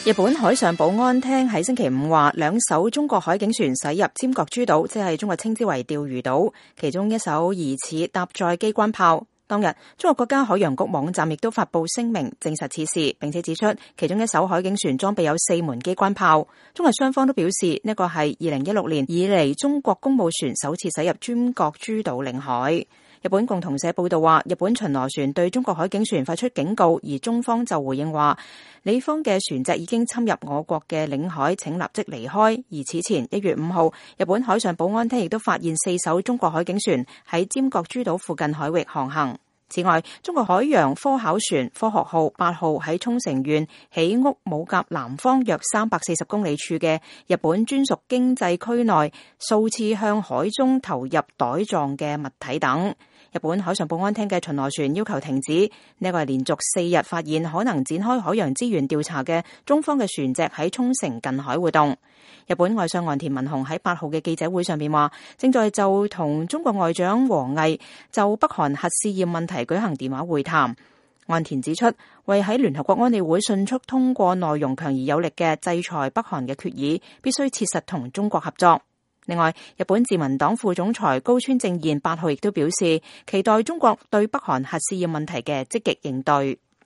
日本海上保安廳喺星期五話，2艘中國海警船駛入尖閣諸島，即係中國稱之為釣魚島，其中一艘疑似搭載機關炮。當日，中國國家海洋局網站亦都發布聲明證實此事，並且指出其中一艘海警船裝備有4門機關炮。中日雙方都表示呢個係2016年以嚟中國公務船首次駛入尖閣諸島領海。日本共同社報道話，日本巡邏船對中國海警船發出警告，而中方就回應話，你方嘅船隻已經侵入我國嘅領海，請立即離開。而此前1月5號，日本海上保安廳亦都發現4艘中國海警船喺尖閣諸島附近海域航行。此外，中國海洋科考船科學號8號喺沖繩縣喜屋武甲南方約340公里處嘅日本專屬經濟區內數次向海中投入袋狀嘅物體等。日本海上保安廳嘅巡邏船要求停止，呢個係連續4日發現可能展開海洋資源調查嘅中方嘅船隻喺沖繩近海活動。日本外相岸田文雄喺8號嘅記者會上面話，正在就同中國外長王毅就北韓核試驗問題舉行電話會談。岸田指出，為喺聯合國安理會迅速通過內容強而有力嘅制裁北韓嘅決議，必須切實同中國合作。另外，日本自民黨副總裁高村正彥8號亦都表示，期待中國對北韓核試驗問題嘅積極應對。